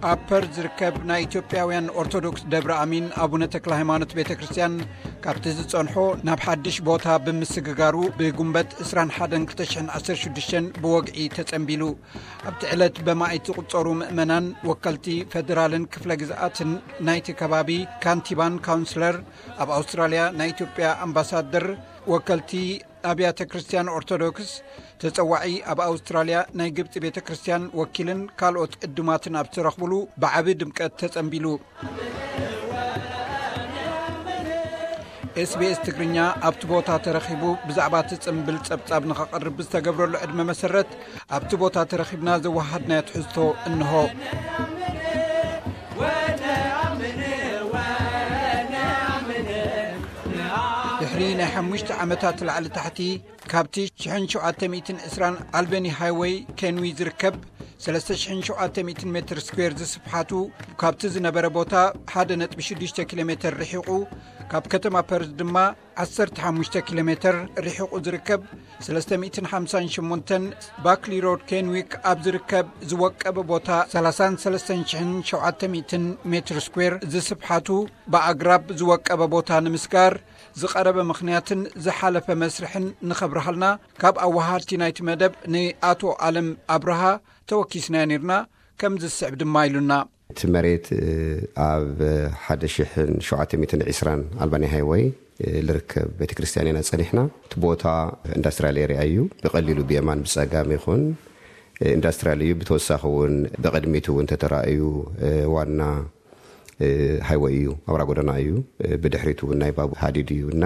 ኣብ ፐርዝ ዝርከብ ናይ ኢትዮጵያውያን ኦርቶዶክስ ደብረ ኣሚን ኣቡነ ተክለ ሃይማኖት ቤተ ክርስቲያን ካብቲ ዝጸንሖ ናብ ሓድሽ ቦታ ብምስግጋሩ ብጉንበት ዕስራን ሓደን ክልተ ሽሕን ዓሰርተ ሽዱሽተን ብወግዒ ተጸንቢሉ። ኣብቲ ዕለት በማኢት ዝቑጸሩ ምእመናን፣ ወከልቲ ፈደራልን ክፍለ ግዝኣትን ናይቲ ከባቢ፣ ካንቲባን ካውንስለር፣ ኣብ ኣውስትራልያ ናይ ኢትዮጵያ ኣምባሳደር፣ ወከልቲ ኣብያተ ክርስቲያን ኦርቶዶክስ፣ ተጸዋዒ ኣብ ኣውስትራልያ ናይ ግብጺ ቤተ ክርስቲያን ወኪልን ካልኦት ዕዱማትን ኣብ ዝተረኽብሉ ብዓቢ ድምቀት ተጸንቢሉ። ኤስቢኤስ ትግርኛ ኣብቲ ቦታ ተረኺቡ ብዛዕባ እቲ ጽምብል ጸብጻብ ንኸቕርብ ብዝተገብረሉ ዕድመ መሰረት ኣብቲ ቦታ ተረኺብና ዘወሃድናዮ ትሕዝቶ እንሆ። ድሕሪ ናይ ሓሙሽተ ዓመታት ላዕሊ ታሕቲ ካብቲ ሽሕን ሸውዓተ ሚእትን ዕስራን ኣልበኒ ሃይወይ ኬንዊ ዝርከብ ሰለስተ ሽሕን ሸውዓተ ሚእትን ሜትር ስኩዌር ዝስፍሓቱ፣ ካብቲ ዝነበረ ቦታ ሓደ ነጥቢ ሽዱሽተ ኪሎ ሜተር ርሒቑ፣ ካብ ከተማ ፐርዝ ድማ ዓሰርተ ሓሙሽተ ኪሎ ሜተር ርሒቑ ዝርከብ ሰለስተ ሚእትን ሓምሳን ሸሞንተን ባክሊ ሮድ ኬንዊክ ኣብ ዝርከብ ዝወቀበ ቦታ ሰላሳን ሰለስተን ሽሕን ሸውዓተ ሚእትን ሜትር ስኩዌር ዝስፍሓቱ፣ ብኣግራብ ዝወቀበ ቦታ ንምስጋር ዝቐረበ ምኽንያትን ዝሓለፈ መስርሕን ንኸብርሃልና ካብ ኣወሃድቲ ናይቲ መደብ ንኣቶ ኣለም ኣብርሃ ተወኪስናዮ ነይርና። ከም ዝስዕብ ድማ ኢሉና። እቲ መሬት፣ እ፣ ኣብ ሓደ ሽሕን ሸውዓተ ሚእትን ዕስራን ኣልባኒ ሃይወይ፣ እ፣ ልርከብ ቤተክርስትያን ኢና ጸኒሕና። እቲ ቦታ ኢንዳስትሪያል ኤሪያ እዩ። ብቐሊሉ ብየማን ብጸጋም ይኹን፣ እ፣ ኢንዳስትሪያል እዩ። ብተወሳኺ እውን ብቕድሚት እውን ተተራእዩ፣ እ፣ ዋና፣ እ፣ ሃይወይ እዩ፣ ኣውራ ጎደና እዩ። እ፣ ብድሕሪቱ እውን ናይ ባቡር ሃዲድ እዩ እና፣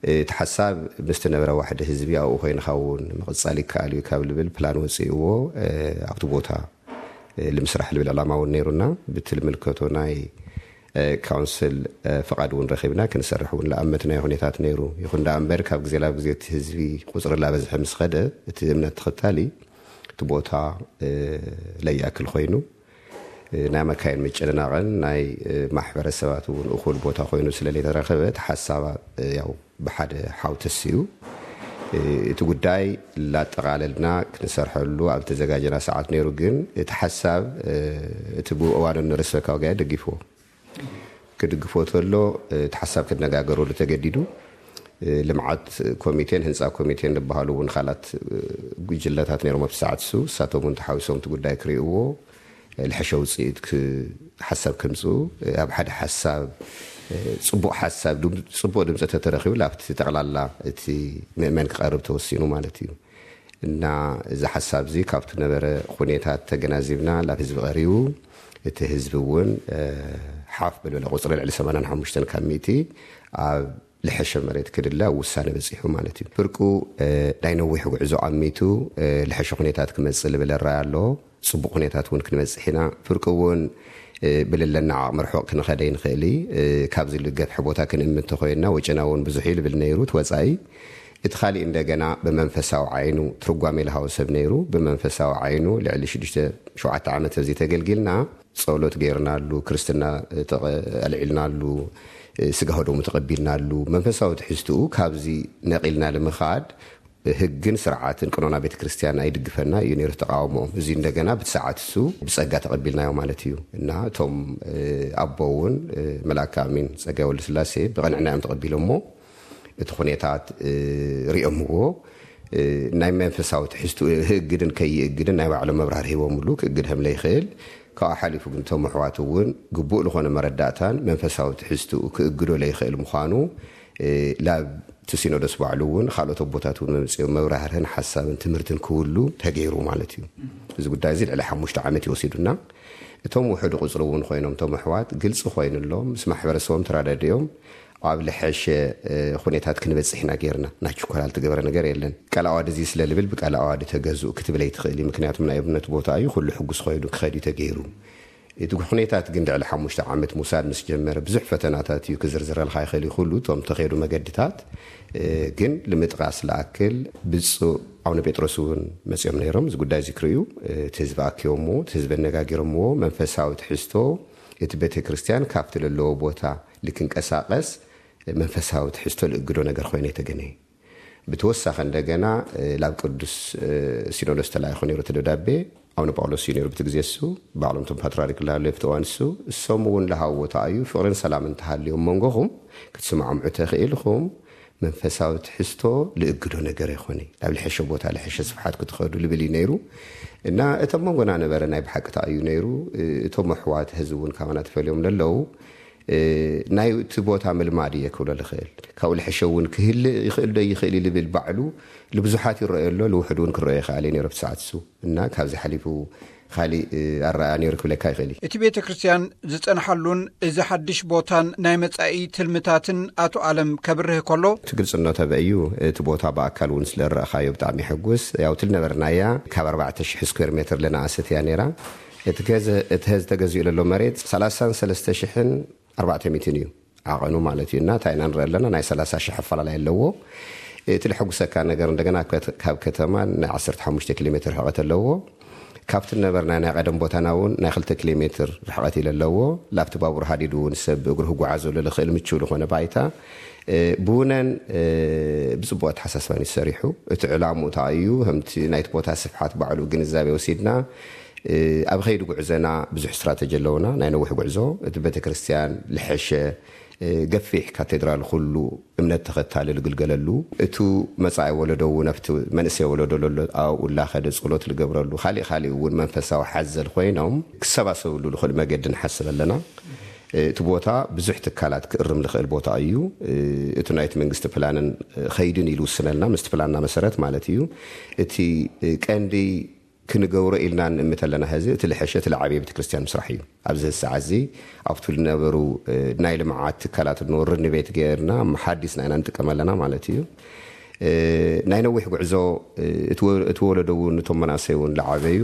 እ፣ እቲ ሓሳብ ምስቲ ነበረ ዋሕዲ ህዝቢ ኣብኡ ኮይንካ እውን ምቕጻል ይከኣል እዩ ካብ ልብል ፕላን ወጺእዎ፣ እ፣ ኣብቲ ቦታ፣ እ፣ ልምስራሕ ልብል ዕላማ እውን ነይሩና። ብቲ ልምልከቶ ናይ፣ እ፣ ካውንስል፣ እ፣ ፍቓድ እውን ረኺብና ክንሰርሕ እውን ለኣመትናዮ ኩነታት ነይሩ። ይኹን ደኣ እምበር ካብ ግዜ ናብ ግዜ እቲ ህዝቢ ቁጽሪ ላበዝሐ ምስ ኸደ እቲ እምነት ተኸታሊ እቲ ቦታ፣ እ፣ ለይኣክል ኮይኑ፣ እ፣ ናይ መካይን ምጭንናቕን ናይ፣ እ፣ ማሕበረሰባት እውን እኹል ቦታ ኮይኑ ስለ ለይተረኸበ እቲ ሓሳብ፣ እ፣ ያው ብሓደ ሓው ተስዩ፣ እ፣ እቲ ጉዳይ ላጠቓለልና ክንሰርሐሉ ኣብ ዝተዘጋጀና ሰዓት ነይሩ። ግን እቲ ሓሳብ፣ እ፣ እቲ ብእዋኑ ንርእሰ ወካዊ ጋያ ደጊፍዎ። ክድግፎ ተሎ፣ እ፣ እቲ ሓሳብ ክነጋገረሉ ተገዲዱ። እ፣ ልምዓት ኮሚቴን ህንፃ ኮሚቴን ዝበሃሉ እውን ካልኣት፣ እ፣ ጉጅለታት ነይሮም ኣብቲ ሰዓት እሱ። እሳቶም እውን ተሓዊሶም እቲ ጉዳይ ክርእይዎ፣ እ፣ ልሐሸ ውፅኢት ክ-፣ ሓሳብ ከምፅኡ፣ እ፣ ኣብ ሓደ ሓሳብ፣ እ፣ ፅቡቕ ሓሳብ፣ ድም-፣ ፅቡቕ ድምፂ ተተረኺቡ፣ ኣብቲ ጠቕላላ እቲ ምእመን ክቐርብ ተወሲኑ ማለት እዩ። እና እዚ ሓሳብ እዚ ካብቲ ነበረ ኩኔታት ተገናዚብና ናብ ህዝቢ ቀሪቡ፣ እቲ ህዝቢ እውን፣ እ፣ ሓፍ ብልበለ ቁፅሪ ልዕሊ ሰማንያን ሓሙሽተን ካብ ሚእቲ ኣብ ልሐሸ መሬት ክድለ ኣብ ውሳነ በፂሑ ማለት እዩ። ፍርቁ፣ እ፣ ናይ ነዊሕ ጉዕዞ ዓሚቱ፣ እ፣ ልሐሸ ኩኔታት ክመፅእ ልብል ራይ ኣሎ። ፅቡቕ ኩኔታት እውን ክንበፅሕ ኢና። ፍርቁ እውን፣ እ፣ ብልለና ዓቕሚ ርሑቕ ክንኸደ ይንኽእል እዩ። እ፣ ካብዚ ልገፍሐ ቦታ ክንእምት ተኮይንና ወጪና እውን ብዙሕ እዩ ልብል ነይሩ እቲ ወፃኢ። እቲ ካሊእ እንደገና ብመንፈሳዊ ዓይኑ ትርጓሜ ልሃወ ሰብ ነይሩ። ብመንፈሳዊ ዓይኑ ልዕሊ ሽዱሽተ ሸውዓተ ዓመት ኣብዚ ተገልጊልና፣ ጸሎት ገይርናሉ፣ ክርስትና ተቐ-፣ ኣልዒልናሉ፣ ስጋ ወደሙ ተቐቢልናሉ። መንፈሳዊ ትሕዝትኡ ካብዚ ነቒልና ልምኻድ ህግን ስርዓትን ቀኖና ቤተ ክርስቲያን ኣይድግፈና እዩ ነይሩ ተቃውሞኦም። እዚ እንደገና ብቲ ሰዓት እሱ ብጸጋ ተቐቢልናዮ ማለት እዩ። እና እቶም፣ እ፣ ኣቦ እውን፣ እ፣ መልኣከ ኣሚን ጸጋይ ወልደስላሴ ብቕንዕና እዮም ተቐቢሎሞ። እቲ ኩኔታት፣ እ፣ ሪኦምዎ፣ እ፣ ናይ መንፈሳዊ ትሕዝትኡ ህእግድን ከይእግድን ናይ ባዕሎም መብራህር ሂቦምሉ፣ ክእግድ ከም ለይኽእል፣ ካብኡ ሓሊፉ ግን እቶም ኣሕዋት እውን ግቡእ ልኾነ መረዳእታን መንፈሳዊ ትሕዝትኡ ክእግዶ ለይኽእል ምዃኑ፣ እ፣ ላብ እቲ ሲኖዶስ ባዕሉ እውን ካልኦት ኣቦታት እውን መምፅኦም መብራህርህን ሓሳብን ትምህርትን ክህሉ ተገይሩ ማለት እዩ። እዚ ጉዳይ እዚ ልዕሊ ሓሙሽተ ዓመት እዩ ወሲዱና። እቶም ውሑድ ቁፅሪ እውን ኮይኖም እቶም ኣሕዋት ግልፂ ኮይኑሎም ምስ ማሕበረሰቦም ተራዳዲኦም ኣብ ልሐሸ፣ እ፣ ኩነታት ክንበፅሕ ኢና ጌርና። ናይ ችኮላ ልትገበረ ነገር የለን። ቃል ኣዋዲ እዚ ስለ ልብል ብቃል ኣዋዲ ተገዝኡ ክትብል ኣይትኽእል እዩ። ምክንያቱም ናይ እምነት ቦታ እዩ፣ ኩሉ ሕጉስ ኮይኑ ክኸድ እዩ ተገይሩ። እቲ ኩነታት ግን ልዕሊ ሓሙሽተ ዓመት ምውሳድ ምስ ጀመረ ብዙሕ ፈተናታት እዩ ክዝርዝረልካ ይኽእል እዩ። ኩሉ እቶም ተኸይዱ መገድታት፣ እ፣ ግን ንምጥቃስ ለኣክል ብፁዕ ኣቡነ ጴጥሮስ እውን መፂኦም ነይሮም። እዚ ጉዳይ እዚ ክርእዩ፣ እ፣ እቲ ህዝቢ ኣኪቦምዎ፣ እቲ ህዝቢ ኣነጋጊሮምዎ። መንፈሳዊ ትሕዝቶ እቲ ቤተ ክርስቲያን ካብቲ ለለዎ ቦታ ልክንቀሳቐስ መንፈሳዊ ትሕዝቶ ልእግዶ ነገር ኮይነ የተገነየ። ብተወሳኺ እንደገና፣ እ፣ ላብ ቅዱስ፣ እ፣ ሲኖዶስ ተላኢኹ ነይሩ እቲ ደብዳቤ። ኣቡነ ጳውሎስ እዩ ነይሩ ብቲ ግዜ እሱ። ባዕሎም እቶም ፓትርያርክ ላሃለዩ ኣብቲ እዋን እሱ፣ እሶም እውን ለሃዎ ተኣዩ፣ ፍቕርን ሰላም እንተሃልዮም መንጎኹም ክትስማዕምዑ ተኽእል ኢኹም፣ መንፈሳዊ ትሕዝቶ ልእግዶ ነገር ኣይኮነ፣ ናብ ልሐሸ ቦታ ልሐሸ ስፍሓት ክትኸዱ ልብል እዩ ነይሩ። እና እቶም መንጎና ነበረ ናይ ብሓቂ ተኣዩ ነይሩ። እቶም ኣሕዋት ህዝቢ እውን ካባና ተፈልዮም ለለዉ፣ ናይቲ ቦታ ምልማድ እየ ክብሎ ልኽእል። ካብኡ ልሐሸ እውን ክህልእ ይኽእል ዶ ይኽእል እዩ ልብል ባዕሉ ልብዙሓት ይረኣዮ ኣሎ፣ ልውሕድ እውን ክረኣዮ ይኽኣል እዩ ነይሩ ኣብቲ ሰዓት እሱ። እና ካብዚ ሓሊፉ ካሊእ ኣረኣያ ነይሩ ክብለካ ይኽእል እዩ። እቲ ቤተ ክርስቲያን ዝጸንሓሉን እዚ ሓድሽ ቦታን ናይ መጻኢ ትልምታትን ኣቶ ኣለም ከብርህ ከሎ፣ እቲ ግልጽነቱ ኣበይ እዩ? እቲ ቦታ ብኣካል እውን ስለ ረእኻዮ ብጣዕሚ የሐጉስ። ያው እቲ ልነበርናያ ካብ ኣርባዕተ ሽሕ ስኩዌር ሜትር ለናኣሰት እያ ነይራ። እቲ ገዘ-፣ እቲ ህዝ ተገዚኡ ለሎ መሬት ሰላሳን ሰለስተ ሽሕን ኣርባዕተ ሚእትን እዩ ዓቐኑ ማለት እዩ። እና እንታይ ኢና ንርኢ ኣለና? ናይ ሰላሳ ሽሕ ኣፈላላይ ኣለዎ። እቲ ልሐጉሰካ ነገር እንደገና ከት-፣ ካብ ከተማ ናይ ዓሰርተ ሓሙሽተ ኪሎ ሜትር ርሕቐት ኣለዎ። ካብቲ ነበርና ናይ ቀደም ቦታና እውን ናይ ክልተ ኪሎ ሜትር ርሕቐት ኢለ ኣለዎ። ላብቲ ባቡር ሃዲድ እውን ሰብ ብእግሩ ክጓዓዘሉ ልኽእል ምችው ዝኾነ ባይታ፣ እ፣ ብውነን፣ እ፣ ብጽቡቕ ኣተሓሳስባን እዩ ተሰሪሑ። እቲ ዕላምኡ እንታይ እዩ? ከምቲ ናይቲ ቦታ ስፍሓት ባዕሉ ግንዛቤ ወሲድና፣ እ፣ ኣብ ኸይዲ ጉዕዘና ብዙሕ ስትራተጂ ኣለውና። ናይ ነዊሕ ጉዕዞ፣ እቲ ቤተክርስትያን ልሐሸ፣ እ፣ ገፊሕ ካቴድራል ኩሉ እምነት ተኸታሊ ልግልገለሉ፣ እቱ መጻኢ ወለዶ እውን ኣብቲ መንእሰይ ወለዶ ለሎ ኣብኡ ላኸደ ጸሎት ልገብረሉ፣ ካሊእ ካሊእ እውን መንፈሳዊ ሓዘል ኮይኖም ክሰባሰብሉ ልኽእል መገዲ ንሓስብ ኣለና። እቲ ቦታ ብዙሕ ትካላት ክእርም ልኽእል ቦታ እዩ። እቲ ናይቲ መንግስቲ ፕላንን ኸይድን ኢሉ ውስነልና፣ ምስቲ ፕላንና መሰረት ማለት እዩ። እቲ ቀንዲ ክንገብሮ ኢልና ንእምት ኣለና፣ ሕዚ እቲ ልሐሸ፣ እቲ ልዓበየ ቤተክርስትያን ምስራሕ እዩ። ኣብዚ ሰዓት እዚ ኣብቱ ልነበሩ ናይ ልምዓት ትካላት እንወርድ ንቤት ገይርና መሓዲስና ኢና ንጥቀም ኣለና ማለት እዩ። ናይ ነዊሕ ጉዕዞ፣ እቲ ወ-፣ እቲ ወለዶ እውን፣ እቶም መናእሰይ እውን ልዓበዩ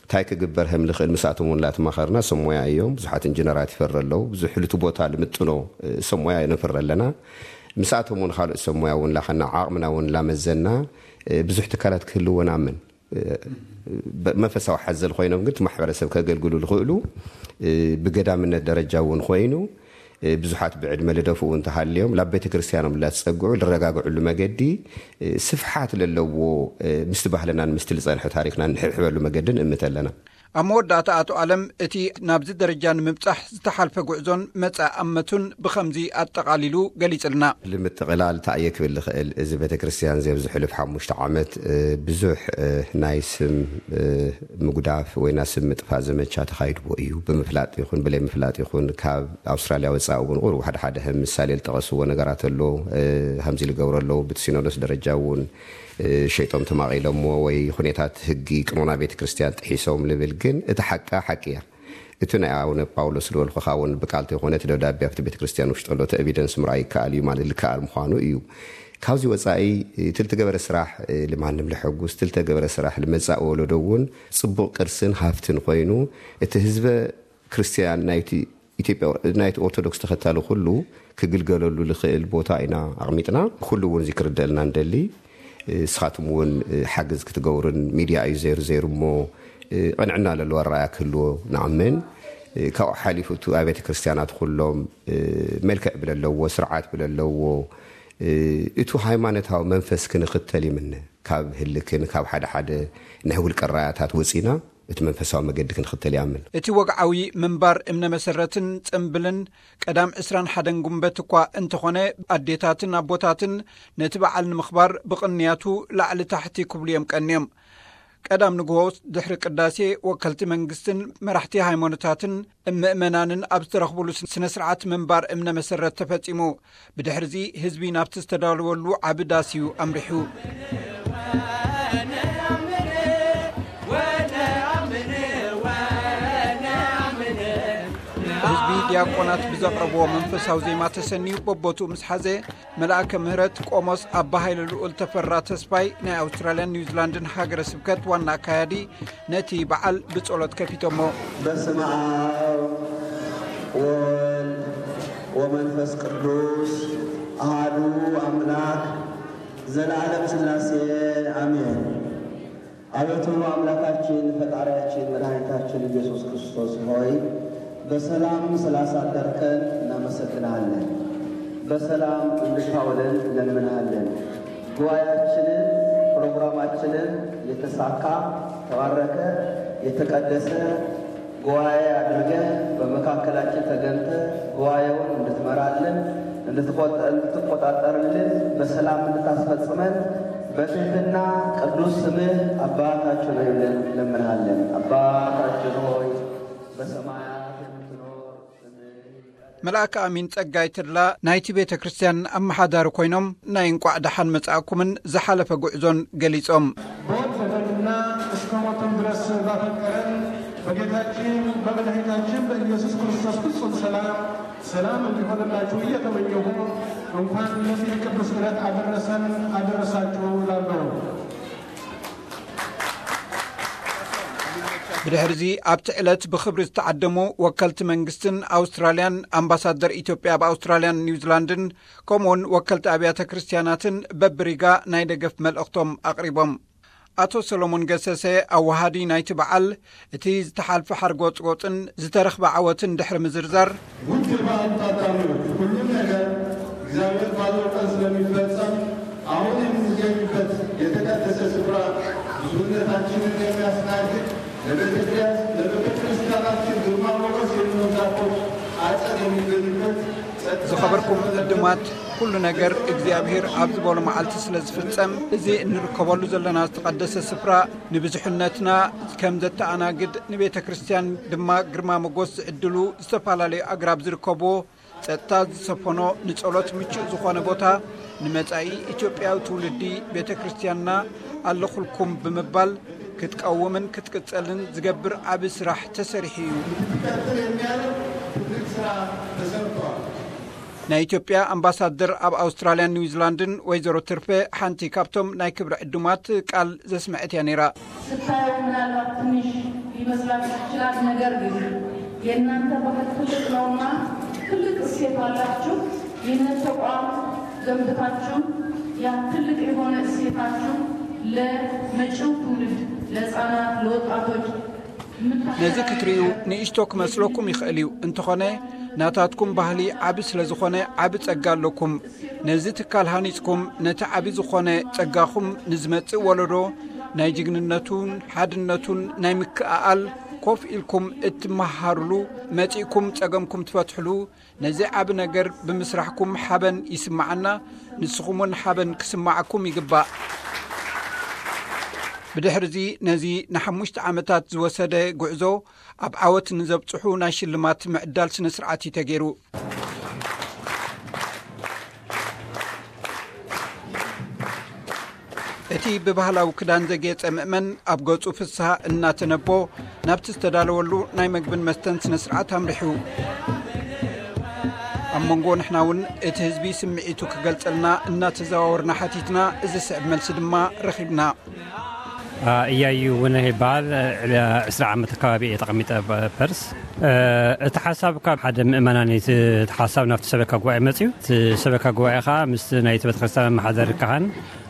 እንታይ ክግበር ከም ልኽእል ምስኣቶም እውን ላተማኸርና። ሰብ ሞያ እዮም፣ ብዙሓት ኢንጂነራት ይፈሪ ኣለዉ። ብዙሕ ልቲ ቦታ ልምጥኖ ሰብ ሞያ ነፍሪ ኣለና። ምስኣቶም እውን ካልኦት ሰብ ሞያ እውን ላኸና፣ ዓቕምና እውን ላመዘና፣ ብዙሕ ትካላት ክህልዎ ንኣምን። በ-፣ መንፈሳዊ ሓዘል ኮይኖም ግን እቲ ማሕበረሰብ ከገልግሉ ልኽእሉ፣ ብገዳምነት ደረጃ እውን ኮይኑ፣ ብዙሓት ብዕድመ ልደፍኡ እንተሃልዮም፣ ላብ ቤተ ክርስቲያኖም ላትጸግዑ ልረጋግዕሉ መገዲ፣ ስፍሓት ለለዎ፣ ምስቲ ባህልናን ምስቲ ልጸንሐ ታሪኽናን ንሕብሕበሉ መገዲ ንእምት ኣለና። ኣብ መወዳእታ ኣቶ ኣለም እቲ ናብዚ ደረጃ ንምብጻሕ ዝተሓልፈ ጉዕዞን መጻኢ ኣመቱን ብኸምዚ ኣጠቓሊሉ ገሊጽልና። ንምጥቕላል እንታይ እየ ክብል ልኽእል? እዚ ቤተ ክርስቲያን እዚ ኣብዚ ሕሉፍ ሓሙሽተ ዓመት፣ እ፣ ብዙሕ፣ እ፣ ናይ ስም፣ እ፣ ምጉዳፍ ወይ ናይ ስም ምጥፋእ ዘመቻ ተኻይድዎ እዩ። ብምፍላጥ ይኹን ብለይ ምፍላጥ ይኹን፣ ካብ ኣውስትራልያ ወጻኢ እውን ቁሩብ ሓደ ሓደ ከም ምሳሌ ዝጠቐስዎ ነገራት ኣሎ። እ፣ ከምዚ ዝገብሩ ኣለዉ። ብቲ ሲኖዶስ ደረጃ እውን፣ እ፣ ሸይጦም ተማቒሎምዎ ወይ ኩነታት ህጊ ቅኖና ቤተ ክርስቲያን ጥሒሶም ልብል፣ ግን እቲ ሓቃ ሓቂ እያ። እቲ ናይ ኣቡነ ጳውሎስ ዝበልኩኻ እውን ብቃል ተይኮነ እቲ ደብዳቤ ኣብቲ ቤተ ክርስቲያን ውሽጢ ኣሎ፣ እቲ ኤቪደንስ ምርኣይ ይከኣል እዩ ማለት ልከኣል ምዃኑ እዩ። ካብዚ ወጻኢ እቲ ልተገበረ ስራሕ፣ እ፣ ልማንም ለሐጉስ፣ እቲ ልተገበረ ስራሕ ልመጻኢ ወለዶ እውን ጽቡቕ ቅርስን ሃፍትን ኮይኑ፣ እቲ ህዝበ ክርስቲያን ናይቲ ኢትዮጵያ፣ ናይቲ ኦርቶዶክስ ተኸታሊ ኩሉ ክግልገለሉ ልኽእል ቦታ ኢና ኣቕሚጥና። ኩሉ እውን እዚ ክርደእልና ንደሊ። እ፣ ንስኻትም እውን፣ እ፣ ሓገዝ ክትገብሩን ሚድያ እዩ ዘይሩ ዘይሩ እሞ፣ እ፣ ቅንዕና ለለዎ ኣረኣያ ክህልዎ ንኣምን። እ፣ ካብኡ ሓሊፉ እቱ ኣብያተ ክርስቲያናት ኩሎም፣ እ፣ መልክዕ ብለለዎ፣ ስርዓት ብለለዎ፣ እ፣ እቱ ሃይማኖታዊ መንፈስ ክንኽተል ይምነ። ካብ ህልክን ካብ ሓደ ሓደ ናይ ውልቀ ራያታት ወፂና እቲ መንፈሳዊ መገዲ ክንኽተል ይኣምን። እቲ ወግዓዊ ምንባር እምነ መሰረትን ጽምብልን ቀዳም ዕስራን ሓደን ጉንበት እኳ እንተኾነ፣ ኣዴታትን ኣቦታትን ነቲ በዓል ንምኽባር ብቕንያቱ ላዕሊ ታሕቲ ክብሉ እዮም ቀንዮም። ቀዳም ንግሆ ድሕሪ ቅዳሴ፣ ወከልቲ መንግስትን መራሕቲ ሃይማኖታትን ምእመናንን ኣብ ዝተረኽቡሉ ስነ ስርዓት ምንባር እምነ መሰረት ተፈጺሙ። ብድሕርዚ ህዝቢ ናብቲ ዝተዳለወሉ ዓቢ ዳስ እዩ ኣምሪሑ። ህዝቢ ዲያቆናት ብዘቕረብዎ መንፈሳዊ ዜማ ተሰንዩ በቦትኡ ምስ ሓዘ፣ መልኣከ ምህረት ቆሞስ ኣባ ሃይለ ልኡል ተፈራ ተስፋይ ናይ ኣውስትራልያን ኒውዚላንድን ሃገረ ስብከት ዋና ኣካያዲ ነቲ በዓል ብጸሎት ከፊቶሞ። በስመ አብ ወወልድ ወመንፈስ ቅዱስ አሐዱ አምላክ ዘለዓለም ሥላሴ አሜን። አቤቱ አምላካችን ፈጣሪያችን መድኃኒታችን ኢየሱስ ክርስቶስ ሆይ በሰላም ስላሳደርከን እናመሰግንሃለን። በሰላም እንድታውለን እንለምንሃለን። ጉባኤያችንን ፕሮግራማችንን የተሳካ ተባረከ የተቀደሰ ጉባኤ አድርገህ በመካከላችን ተገንተ ጉባኤውን እንድትመራልን እንድትቆጠ- እንድትቆጣጠርልን በሰላም እንድታስፈጽመን በትህትና ቅዱስ ስምህ አባታችን ሆይ ብለን እንለምንሃለን። አባታችን ሆይ በሰማያት የምትኖር ስምህ ይቀደስ። መልኣከ ኣሚን ጸጋይ ተድላ ናይቲ ቤተ ክርስቲያን ኣመሓዳሪ ኮይኖም ናይ እንቋዕ ደሓን መጻእኩምን ዝሓለፈ ጉዕዞን ገሊጾም። በወደደንና እስከ ሞትም ድረስ ባፈቀረን በጌታችን በመድኃኒታችን በኢየሱስ ክርስቶስ ፍጹም ሰላም ሰላም እንዲሆንላችሁ እየተመኘሁ እንኳን ለዚህ ቅዱስ ዕለት አደረሰን አደረሳችሁ እላለሁ። ብድሕርዚ ኣብቲ ዕለት ብኽብሪ ዝተዓደሙ ወከልቲ መንግስትን ኣውስትራልያን፣ ኣምባሳደር ኢትዮጵያ ኣብ ኣውስትራልያን ኒውዚላንድን፣ ከምኡውን ወከልቲ ኣብያተ ክርስቲያናትን በብሪጋ ናይ ደገፍ መልእኽቶም ኣቕሪቦም። ኣቶ ሰሎሞን ገሰሰ፣ ኣወሃዲ ናይቲ በዓል፣ እቲ ዝተሓልፈ ሓርጎጽጎጽን ዝተረኽበ ዓወትን ድሕሪ ምዝርዛር፣ ውድ በዓል ታዳሚዎች፣ ሁሉም ነገር እግዚአብሔር ባለው ቀን ስለሚፈጸም አሁን የምንገኝበት የተቀደሰ ስፍራ ብዙነታችንን የሚያስተናግድ ለቤተ ክርስቲያን ለቤተ ክርስቲያናችን ግርማ ሞገስ የሚሆን ዛፎች አጸድ የሚገኝበት ጸጥታ ዝኸበርኩም ዕዱማት፣ ኩሉ ነገር እግዚኣብሔር ኣብ ዝበሎ መዓልቲ ስለ ዝፍጸም፣ እዚ እንርከበሉ ዘለና ዝተቐደሰ ስፍራ ንብዙሕነትና ከም ዘተኣናግድ፣ ንቤተ ክርስቲያን ድማ ግርማ ሞገስ ዝዕድሉ ዝተፈላለዩ ኣግራብ ዝርከብዎ፣ ጸጥታ ዝሰፈኖ፣ ንጸሎት ምቹእ ዝኾነ ቦታ፣ ንመጻኢ ኢትዮጵያዊ ትውልዲ ቤተ ክርስቲያንና ኣለኹልኩም ብምባል ክትቀውምን ክትቅጸልን ዝገብር ዓቢ ስራሕ ተሰሪሑ እዩ። እንድትቀጥል የሚያደርግ ትልቅ ስራ ተሰርቷል። ናይ ኢትዮጵያ ኣምባሳደር ኣብ ኣውስትራልያን ኒውዚላንድን ወይዘሮ ትርፌ፣ ሓንቲ ካብቶም ናይ ክብሪ ዕዱማት፣ ቃል ዘስመዐት እያ ነይራ። ስታየው ምናልባት ትንሽ ሊመስላችሁ ይችላል። ነገር ግን የእናንተ ባህል ትልቅ ነውና ትልቅ እሴት አላችሁ። ይህንን ተቋም ገንብታችሁ ያ ትልቅ የሆነ እሴታችሁ ለመጪው ትውልድ፣ ለህፃናት፣ ለወጣቶች ነዚ ክትርእዩ ንእሽቶ ክመስለኩም ይኽእል እዩ። እንተኾነ፣ ናታትኩም ባህሊ ዓቢ ስለ ዝኾነ፣ ዓቢ ጸጋ ኣለኩም። ነዚ ትካል ሃኒጽኩም፣ ነቲ ዓቢ ዝኾነ ጸጋኹም ንዝመጽእ ወለዶ ናይ ጅግንነቱን ሓድነቱን ናይ ምክእኣል ኮፍ ኢልኩም እትመሃሩሉ፣ መጺእኩም ጸገምኩም ትፈትሕሉ፣ ነዚ ዓቢ ነገር ብምስራሕኩም ሓበን ይስምዓና፣ ንስኹም እውን ሓበን ክስምዓኩም ይግባእ። ብድሕርዚ ነዚ ንሓሙሽተ ዓመታት ዝወሰደ ጉዕዞ ኣብ ዓወት ንዘብጽሑ ናይ ሽልማት ምዕዳል ስነ ስርዓት እዩ ተገይሩ። እቲ ብባህላዊ ክዳን ዘጌጸ ምእመን ኣብ ገጹ ፍስሃ እናተነቦ ናብቲ ዝተዳለወሉ ናይ መግብን መስተን ስነ ስርዓት ኣምሪሑ። ኣብ መንጎ ንሕና እውን እቲ ህዝቢ ስምዒቱ ክገልጸልና እናተዘዋወርና ሓቲትና፣ እዚ ስዕብ መልሲ ድማ ረኺብና። እያዩ ውነ ይበሃል። ዕስራ ዓመት ኣከባቢ እየ ተቐሚጠ ፐርስ። እቲ ሓሳብ ካብ ሓደ ምእመናን እዩ። እቲ ሓሳብ ናብቲ ሰበካ ጉባኤ መፅዩ። እቲ ሰበካ ጉባኤ ከዓ ምስ ናይቲ ቤተክርስትያን ኣመሓደሪ ካህን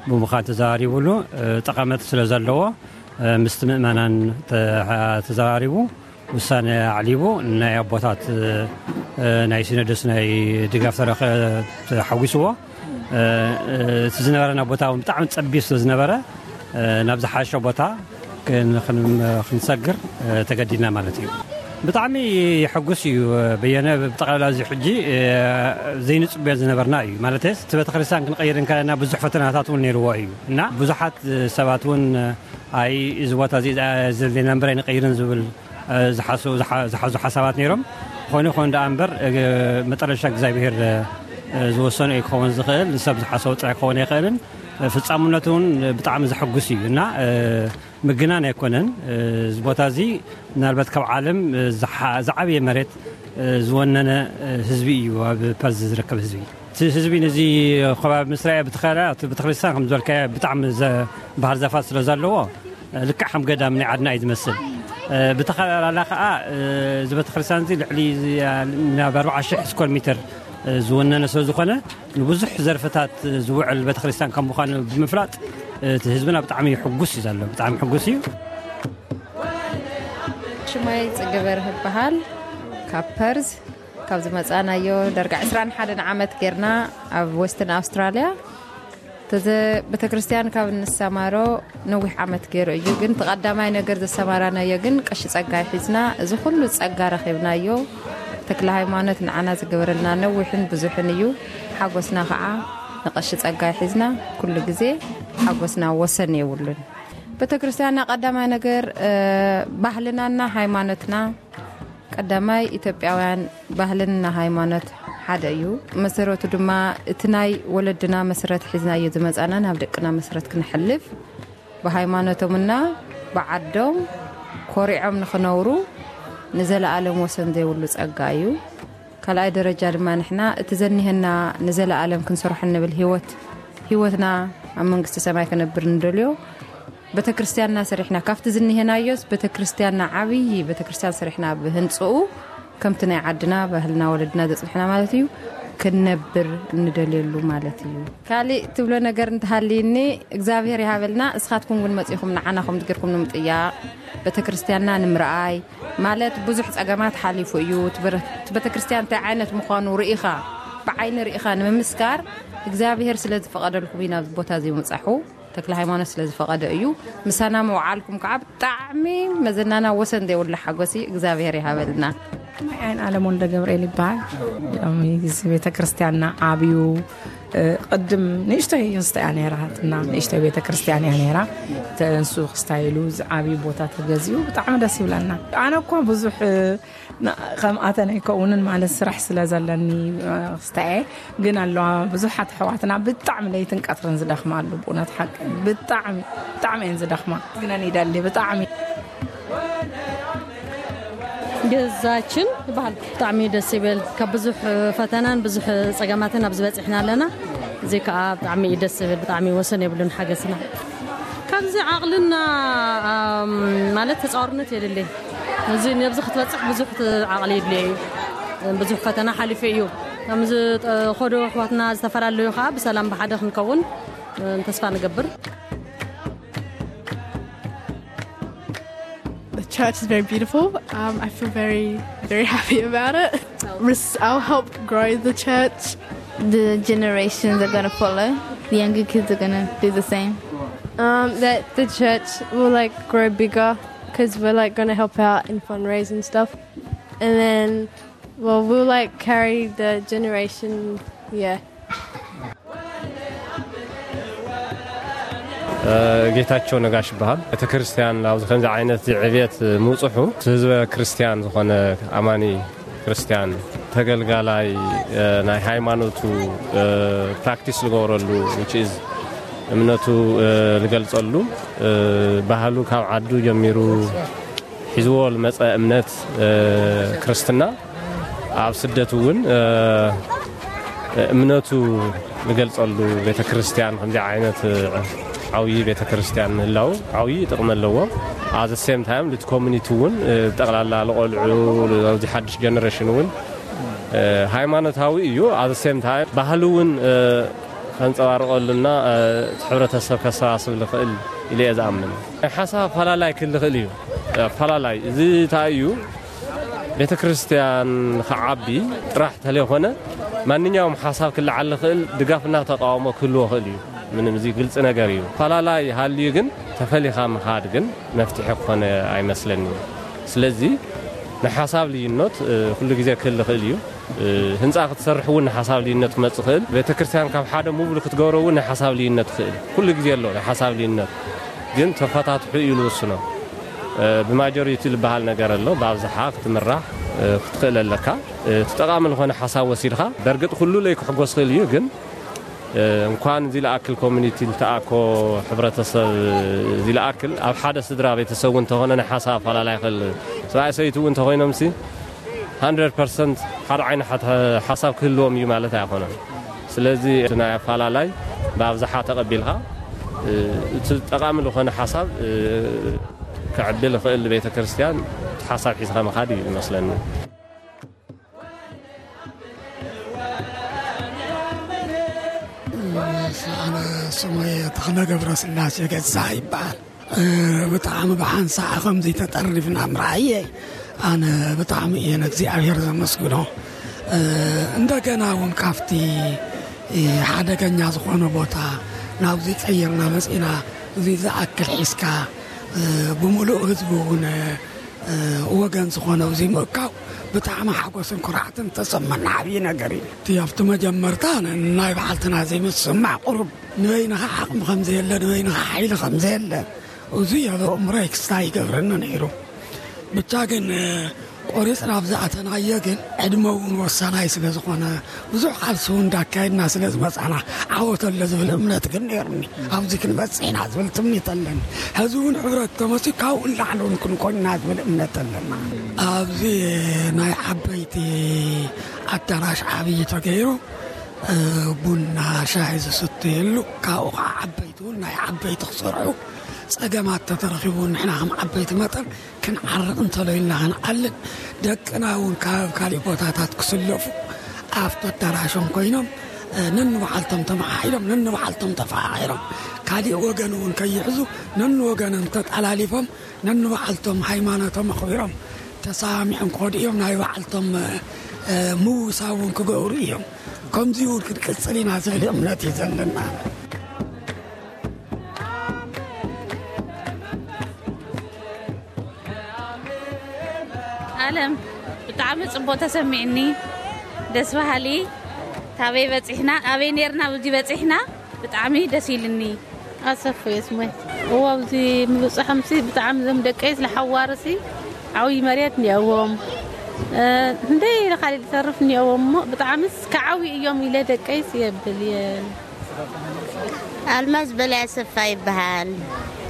ብምዃን ተዘራሪቡሉ፣ ጠቐመት ስለ ዘለዎ ምስቲ ምእመናን ተዘራሪቡ ውሳነ ኣዕሊቡ፣ ናይ ኣቦታት ናይ ሲኖዶስ ናይ ድጋፍ ተረኸ ተሓጒስዎ። እቲ ዝነበረና ቦታ እውን ብጣዕሚ ጸቢብ ስለ ዝነበረ፣ ናብ ዝሓሸ ቦታ ክን- ክን- ክንሰግር ተገዲድና ማለት እዩ። ብጣዕሚ የሐጉስ እዩ። በየነ፣ ብጠቕላላ እዚ ሕጂ ዘይንጽበዮ ዝነበርና እዩ። ማለት እቲ ቤተክርስትያን ክንቀይር እንከለና ብዙሕ ፈተናታት እውን ነይርዎ እዩ እና ብዙሓት ሰባት እውን፣ ኣይ፣ እዚ ቦታ እዚ ዘድልየና እምበር ኣይንቀይርን ዝብል ዝሓሱ- ዝሓ- ዝሓዙ ሓሳባት ነይሮም። ኮይኑ ኮይኑ ደኣ እምበር፣ መጠረሻ እግዚኣብሄር ዝወሰኖ እዩ ክኸውን ዝኽእል። ንሰብ ዝሓሰቡ ጥራይ ክኸውን ኣይኽእልን። ፍጻምነቱ እውን ብጣዕሚ ዘሐጉስ እዩ እና ምግናን ኣይኮነን። እዚ ቦታ እዚ ምናልባት ካብ ዓለም ዝሓ- ዝዓበየ መሬት ዝወነነ ህዝቢ እዩ፣ ኣብ ፐርዝ ዝርከብ ህዝቢ። እቲ ህዝቢ ነዚ ከባቢ ምስ ረኣየ ብተኸላ እቲ ቤተክርስትያን ከም ዝበልካዮ ብጣዕሚ ዘ- ባህር ዛፋት ስለ ዘለዎ ልክዕ ከም ገዳም ናይ ዓድና እዩ ዝመስል። ብተኸላላ ከዓ እዚ ቤተክርስትያን እዚ ልዕሊ ናብ ኣርባዓ ሽሕ ስኩዌር ሜትር ዝወነነ ስለ ዝኾነ ንብዙሕ ዘርፍታት ዝውዕል ቤተክርስትያን ከም ምዃኑ ብምፍላጥ እቲ ህዝብና ብጣዕሚ ሕጉስ እዩ ዘሎ። ብጣዕሚ ሕጉስ እዩ። ሽመይ ጽገ በርህ ይበሃል። ካብ ፐርዝ ካብ ዝመጻናዮ ዳርጋ ዕስራን ሓደን ዓመት ጌርና ኣብ ዌስተርን ኣውስትራልያ። ተዘ ቤተክርስትያን ካብ እንሰማሮ ነዊሕ ዓመት ገይሩ እዩ። ግን እቲ ቀዳማይ ነገር ዘሰማራናዮ ግን ቀሺ ጸጋይ ሒዝና፣ እዚ ኩሉ ጸጋ ረኺብናዮ። ተክለ ሃይማኖት ንዓና ዝገበረልና ነዊሕን ብዙሕን እዩ። ሓጎስና ከዓ ንቀሺ ጸጋይ ሒዝና፣ ኩሉ ግዜ ሓጎስና ወሰን የብሉን። ቤተክርስትያንና ቀዳማይ ነገር፣ እ፣ ባህልናና ሃይማኖትና፣ ቀዳማይ ኢትዮጵያውያን ባህልና ሃይማኖት ሓደ እዩ። መሰረቱ ድማ እቲ ናይ ወለድና መሰረት ሒዝናዮ ዝመጻና ናብ ደቅና መሰረት ክነሕልፍ፣ ብሃይማኖቶምና ብዓዶም ኮሪዖም ንኽነብሩ ንዘለኣለም ወሰን ዘይብሉ ጸጋ እዩ። ካልኣይ ደረጃ ድማ ንሕና እቲ ዘኒሀና ንዘለኣለም ክንሰርሖ እንብል ህይወት፣ ህይወትና ኣብ መንግስቲ ሰማይ ክነብር እንደልዮ። ቤተክርስትያንና ሰሪሕና፣ ካብቲ ዝኒሀናዮስ ቤተክርስትያንና፣ ዓብዪ ቤተክርስትያን ሰሪሕና ብህንፅኡ፣ ከምቲ ናይ ዓድና ባህልና ወለድና ዘፅንሕና ማለት እዩ፣ ክንነብር እንደልየሉ ማለት እዩ። ካሊእ ትብሎ ነገር እንተሃልይኒ፣ እግዚኣብሔር ይሃበልና። እስኻትኩም ግን መፂኹም ንዓና ከምዚ ጌርኩም ንምጥያቕ፣ ቤተክርስትያንና ንምርኣይ ማለት ብዙሕ ፀገማት ሓሊፉ እዩ። እቲ በረ-፣ እቲ ቤተክርስትያን እንታይ ዓይነት ምዃኑ ርኢኻ፣ ብዓይኒ ርኢኻ ንምምስካር እግዚኣብሔር ስለ ዝፈቐደልኩም ኢና ኣብዚ ቦታ እዚ ምብጻሑ። ተክለ ሃይማኖት ስለ ዝፈቐደ እዩ። ምሳና ምውዓልኩም ከዓ ብጣዕሚ መዘናና ወሰን ዘይብሉ ሓጎስ እዩ። እግዚኣብሔር ይሃበልና። ኣይ፣ ዓይን ኣለም ወልደ ገብርኤል ይበሃል። ሎሚ እዚ ቤተ ክርስቲያንና ዓብዩ፣ እ፣ ቅድም ንእሽተይ እንስተ እያ ነይራ፣ እና ንእሽተይ ቤተ ክርስቲያን እያ ነይራ። ተንሱ ክስታይሉ እዚ ዓብዩ ቦታ ተገዚኡ ብጣዕሚ ደስ ይብለና። ኣነ እኮ ብዙሕ፣ እ፣ ና-፣ ከም ኣተን ኣይከውንን ማለት ስራሕ ስለ ዘለኒ፣ እ፣ ክስታየ ግን ኣለዋ። ብዙሓት ኣሕዋትና ብጣዕሚ ለይትን ቀትርን ዝደኽማ ኣሉ። ብእውነት ሓቂ ብጣዕሚ፣ ብጣዕሚ እየን ዝደኽማ። ግነን ይደሊ ብጣዕሚ። ገዛችን ይበሃል። ብጣዕሚ ደስ ይብል። ካብ ብዙሕ ፈተናን ብዙሕ ጸገማትን ኣብዚ በጺሕና ኣለና። እዚ ከኣ ብጣዕሚ እዩ ደስ ዝብል። ብጣዕሚ ወሰን የብሉን ሓገዝና። ካብዚ ዓቕልና፣ ኣም፣ ማለት ተጻዋርነት የድሊ። እዚ ነብዚ ክትበጽሕ ብዙሕ ት-፣ ዓቕሊ የድልዮ እዩ። ብዙሕ ፈተና ሓሊፉ እዩ። ከምዚ ጠ-፣ ኸዶ ኣሕዋትና ዝተፈላለዩ ከኣ ብሰላም ብሓደ ክንከውን፣ እ፣ ተስፋ ንገብር። The church is very beautiful. Um, I feel very, very happy about it. Res-, I'll help grow the church. The generations are gonna follow. The younger kids are gonna do the same. Um, that the church will, like, grow bigger 'cause we're, like, gonna help out in fundraising stuff. And then, well, we'll, like, carry the generation, yeah. ጌታቸው ነጋሽ ይበሃል። ቤተ ክርስቲያን ኣብዚ ከምዚ ዓይነት ዕብየት ምውፅሑ፣ ህዝበ ክርስቲያን ዝኾነ ኣማኒ ክርስቲያን ተገልጋላይ፣ እ፣ ናይ ሃይማኖቱ፣ እ፣ ፕራክቲስ ዝገብረሉ፣ which is እምነቱ፣ እ፣ ዝገልጸሉ፣ እ፣ ባህሉ ካብ ዓዱ ጀሚሩ ሒዝዎ ዝመጸ እምነት፣ እ፣ ክርስትና፣ ኣብ ስደት እውን፣ እ፣ እምነቱ ዝገልጸሉ ቤተ ክርስቲያን፣ ከምዚ ዓይነት፣ እ፣ ዓብዪ ቤተ ክርስቲያን ምህላው ዓብዪ ጥቕሚ ኣለዎ። ኣብ the same time እቲ ኮሚኒቲ እውን፣ እ፣ ጠቕላላ ንቆልዑ፣ ኣብዚ ሓድሽ ጀነሬሽን እውን፣ እ፣ ሃይማኖታዊ እዩ። ኣብ the same time ባህሊ እውን፣ እ፣ ከንጸባርቐሉና፣ እ፣ እቲ ሕብረተሰብ ከሰባስብ ዝኽእል ኢለ እየ ዝኣምን። ናይ ሓሳብ ኣፈላላይ ክህሉ ይኽእል እዩ። ኣፈላላይ እዚ እንታይ እዩ? ቤተ ክርስቲያን ክዓቢ ጥራሕ ተለይኮነ፣ ማንኛውም ሓሳብ ክለዓል ዝኽእል ድጋፍና ተቃውሞ ክህልዎ ይኽእል እዩ። ምንም፣ እዚ ግልፂ ነገር እዩ። ኣፈላላይ ሃልዩ ግን ተፈሊኻ ምኻድ ግን መፍትሒ ክኾነ ኣይመስለኒ። ስለዚ ንሓሳብ ልዩነት፣ እ፣ ኩሉ ግዜ ክህሉ ይኽእል እዩ። እ፣ ህንፃ ክትሰርሕ እውን ንሓሳብ ልዩነት ክመፅእ ይኽእል። ቤተክርስትያን ካብ ሓደ ሙቭ ክትገብሮ እውን ንሓሳብ ልዩነት ይኽእል። ኩሉ ግዜ ኣሎ ንሓሳብ ልዩነት። ግን ተፈታትሑ እዩ ዝውስኖ። እ፣ ብማጆሪቲ ዝበሃል ነገር ኣሎ። ብኣብዝሓ ክትምራሕ፣ እ፣ ክትኽእል ኣለካ። እ፣ እቲ ጠቓሚ ዝኾነ ሓሳብ ወሲድካ፣ በርግጥ ኩሉ ለይ ክሕጎስ ይኽእል እዩ፣ ግን፣ እ፣ እንኳን እዚ ለኣክል ኮሚኒቲ ልተኣኮ ሕብረተሰብ፣ እዚ ለኣክል ኣብ ሓደ ስድራ ቤተሰብ እውን እንተኾነ ናይ ሓሳብ ኣፈላላይ ይኽእል። ሰብኣይ ሰበይቲ እውን እንተኾይኖምሲ፣ ሃንድረድ ፐርሰንት ሓደ ዓይነት ሓት-፣ ሓሳብ ክህልዎም እዩ ማለት ኣይኮነን። ስለዚ እቲ ናይ ኣፈላላይ ብኣብዝሓ ተቐቢልካ፣ እ፣ እቲ ጠቓሚ ዝኾነ ሓሳብ፣ እ፣ ክዕብል ይኽእል ቤተ ክርስቲያን፣ እቲ ሓሳብ ሒዝካ ምኻድ እዩ ዝመስለኒ። ኣነ ስመይ ተኽለ ገብረስላሴ ገዛ ይበሃል። እ፣ ብጣዕሚ ብሓንሳእ ከምዚ ተጠሪፍና ምርኣየይ ኣነ ብጣዕሚ እየ ንእግዚኣብሔር ዘመስግኖ። እ፣ እንደገና እውን ካብቲ፣ እ፣ ሓደገኛ ዝኾነ ቦታ ናብዚ ቀይርና መጺና፣ እዚ ዝኣክል ሒዝካ፣ እ፣ ብምሉእ ህዝቢ እውን፣ እ፣ ወገን ዝኾነ ኣብዚ ምእካው ብጣዕሚ ሓጎስን ኩርዓትን ተሰመና ዓብዪ ነገር እዩ። እቲ ኣብቲ መጀመርታ ን-፣ ናይ በዓልትና ዘይምስማዕ ቁሩብ ንበይንኻ ዓቕሚ ከም ዘየለ፣ ንበይንኻ ሓይሊ ከም ዘየለ፣ እዚ ኣብ ኣእምሮይ ክስታይ ይገብረኒ ነይሩ። ብቻ ግን፣ እ፣ ቆሪጽና ኣብ ዝኣተናዮ ግን ዕድመ እውን ወሳናይ ስለ ዝኾነ፣ ብዙሕ ቃልሲ እውን እንዳካየድና ስለ ዝመጻና፣ ዓወት ኣሎ ዝብል እምነት ግን ነይሩኒ። ኣብዚ ክንበጽሕ ኢና ዝብል ትምኒት ኣለኒ። ሕዚ እውን ሕብረት ተመሲ ካብኡ ንላዕሊ እውን ክንኮንና ዝብል እምነት ኣለና። ኣብዚ ናይ ዓበይቲ ኣዳራሽ ዓብዪ ተገይሩ፣ እ፣ ቡና፣ ሻሂ ዝስተየሉ፣ ካብኡ ከዓ ዓበይቲ እውን ናይ ዓበይቲ ክሰርሑ፣ ጸገማት ተተረኺቡ ንሕና ከም ዓበይቲ መጠን ክንዓርቕ እንተሎ ኢልና ክንዓልን፣ ደቅና እውን ካብ ካሊእ ቦታታት ክስለፉ ኣብቲ ኣዳራሾም ኮይኖም፣ እ፣ ነንባዕልቶም ተመሓሒሎም፣ ነንባዕልቶም ተፈቓቒሮም፣ ካሊእ ወገን እውን ከይሕዙ፣ ነንወገኖም ተጠላሊፎም፣ ነንባዕልቶም ሃይማኖቶም ኣኽቢሮም፣ ተሰማሚዖም ክኸዱ እዮም። ናይ ባዕልቶም፣ እ፣ ምውሳብ እውን ክገብሩ እዮም። ከምዚ እውን ክንቅጽል ኢና ዝብል እምነት እዩ ዘለና። ኣለም፣ ብጣዕሚ ጽቡቕ ተሰሚዕኒ። ደስ በሃሊ። ታበይ በጺሕና፣ ኣበይ ኔርና፣ ኣብዚ በጺሕና። ብጣዕሚ ደስ ኢልኒ። ኣሰፉ የስሞይ። እዎ፣ ኣብዚ ምብጽሖምሲ ብጣዕሚ፣ እዞም ደቀይስ ለሓዋርሲ ዓብዪ መሬት እኒኦዎም። እ፣ ክንደይ ኢለ ካሊእ ዝተርፍ እኒኦዎም እሞ፣ ብጣዕምስ ክዓብዩ እዮም ኢለ ደቀይስ የብል እየ። ኣልማዝ በላይ ኣሰፋ ይበሃል።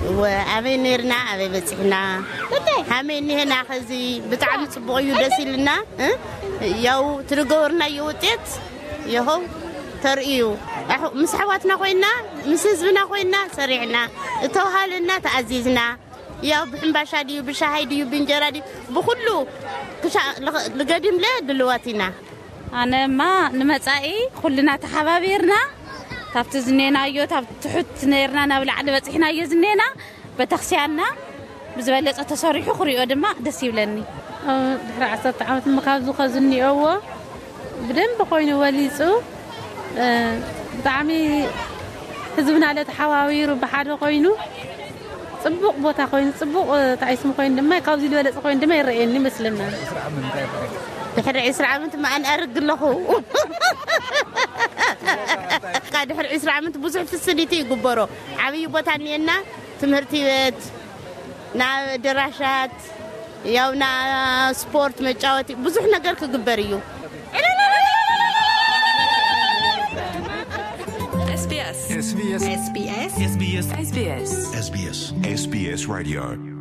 እወ፣ ኣበይ ነይርና፣ ኣበይ በጺሕና? ሃመይ እኒሄና፣ ኸዚ ብጣዕሚ ጽቡቕ እዩ፣ ደስ ኢልና። እ? ያው ትርገወርናዮ ውጤት ይኸው ተርእዩ። ኣሕ-፣ ምስ ኣሕዋትና ኮይና፣ ምስ ህዝብና ኮይና ሰሪዕና፣ እተውሃለና ተኣዚዝና። ያው ብሕምባሻ ድዩ፣ ብሻሃይ ድዩ፣ ብእንጀራ ድዩ፣ ብኹሉ ክሻ-፣ ልኸ-፣ ልገዲምለ ድልዋት ኢና። ኣነማ ንመጻኢ ኩልና ተሓባቢርና፣ ካብቲ ዝኔናዮ፣ ካብ ትሑት ነይርና ናብ ላዕሊ በጺሕናዮ ዝኔና፣ ቤተክርስቲያንና ብዝበለጸ ተሰሪሑ ክሪኦ ድማ ደስ ይብለኒ። ኣብ ድሕሪ ዓሰርተ ዓመት እሞ ካብዚ ከዚ እኒኦዎ ብደንብ ኮይኑ ወሊጹ፣ እ፣ ብጣዕሚ ህዝብና ለተሓባቢሩ ብሓደ ኮይኑ ጽቡቕ ቦታ ኮይኑ፣ ጽቡቕ፣ እ፣ ታይስም ኮይኑ ድማ ካብዚ ዝበለጸ ኮይኑ ድማ ይረኣየኒ ይመስለና። ድሕሪ ዕስራ ዓመት መኣን ኣርግ ኣለኹ። ድሕሪ ዕስራ ዓመት ብዙሕ ፍስሊቲ ይግበሮ። ዓብዪ ቦታ እኒኤና፣ ትምህርቲ ቤት፣ ናብ ኣደራሻት፣ ያው ና ስፖርት መጫወቲ ብዙሕ ነገር ክግበር እዩ። SBS። SBS። SBS። SBS። SBS። SBS። SBS Radio።